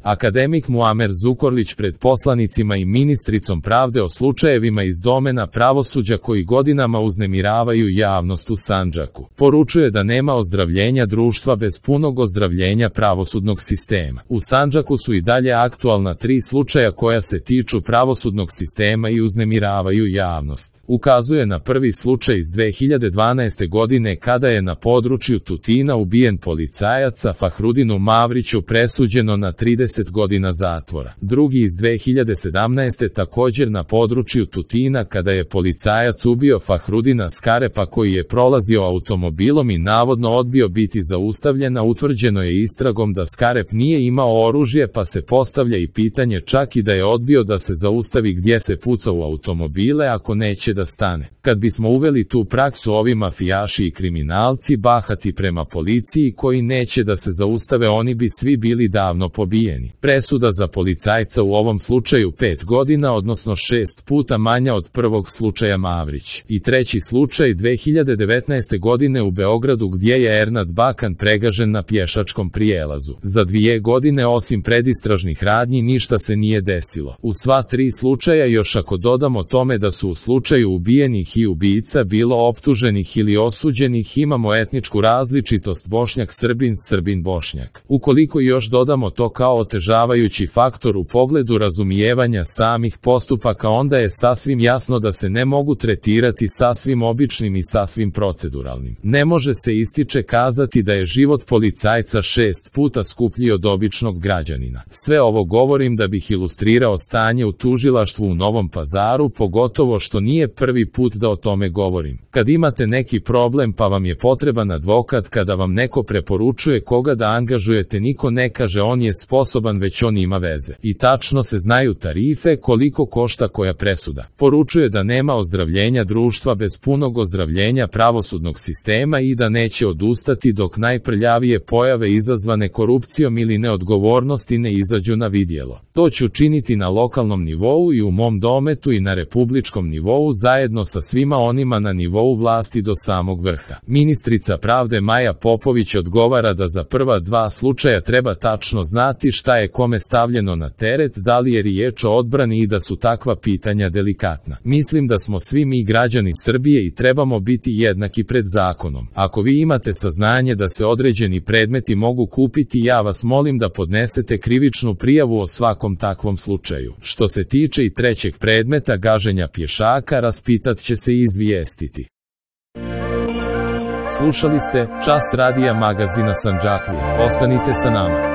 Akademik Muamer Zukorlić pred poslanicima i ministricom pravde o slučajevima iz domena pravosuđa koji godinama uznemiravaju javnost u Sandžaku. Poručuje da nema ozdravljenja društva bez punog ozdravljenja pravosudnog sistema. U Sandžaku su i dalje aktualna 3 slučaja koja se tiču pravosudnog sistema i uznemiravaju javnost. Ukazuje na prvi slučaj iz 2012. godine kada je na području Tutina ubijen policajac, a Fahrudinu Mavriću presuđeno na 30 godina zatvora. Drugi iz 2017. također na području Tutina kada je policajac ubio Fahrudina Skarepa koji je prolazio automobilom i navodno odbio biti zaustavljen, a utvrđeno je istragom da Skarep nije imao oružje, pa se postavlja i pitanje čak i da je odbio da se zaustavi gdje se puca u automobile ako neće da stane. Kad bismo uveli tu praksu, ovi mafijaši i kriminalci bahati prema policiji koji neće da se zaustave, oni bi svi bili davno pobijeni. Presuda za policajca u ovom slučaju 5 godina, odnosno 6 puta manja od prvog slučaja Mavrić. I treći slučaj 2019. godine u Beogradu gdje je Ernad Bakan pregažen na pješačkom prijelazu. Za 2 godine osim predistražnih radnji ništa se nije desilo. U sva 3 slučaja, još ako dodamo tome da su u slučaju ubijenih i ubica bilo optuženih ili osuđenih, imamo etničku različitost Bošnjak-Srbin, Srbin-Bošnjak. Ukoliko još dodamo to kao otežavajući faktor u pogledu razumijevanja samih postupaka, onda je sasvim jasno da se ne mogu tretirati sasvim običnim i sasvim proceduralnim. Ne može se ističe kazati da je život policajca 6 puta skuplji od običnog građanina. Sve ovo govorim da bih ilustrirao stanje u tužilaštvu u Novom Pazaru, pogotovo što nije prvi put da o tome govorim. Kad imate neki problem pa vam je potreban advokat, kada vam neko preporučuje koga da angažujete, niko ne kaže on je sposoban, već on ima veze. I tačno se znaju tarife, koliko košta koja presuda. Poručuje da nema ozdravljenja društva bez punog ozdravljenja pravosudnog sistema i da neće odustati dok najprljavije pojave izazvane korupcijom ili neodgovornosti ne izađu na vidjelo. To ću činiti na lokalnom nivou i u mom dometu i na republičkom nivou zajedno sa svima onima na nivou vlasti do samog vrha. Ministrica pravde Maja Popović odgovara da za prva 2 slučaja treba tačno znati šta je kome stavljeno na teret, da li je riječ o odbrani i da su takva pitanja delikatna. Mislim da smo svi mi građani Srbije i trebamo biti jednaki pred zakonom. Ako vi imate saznanje da se određeni predmeti mogu kupiti, ja vas molim da podnesete krivičnu prijavu o svakom takvom slučaju. Što se tiče i trećeg predmeta gaženja pješaka, raspitat će se i izvijestiti. Slušali ste Čas radija magazina Sandžaklije. Ostanite sa nama.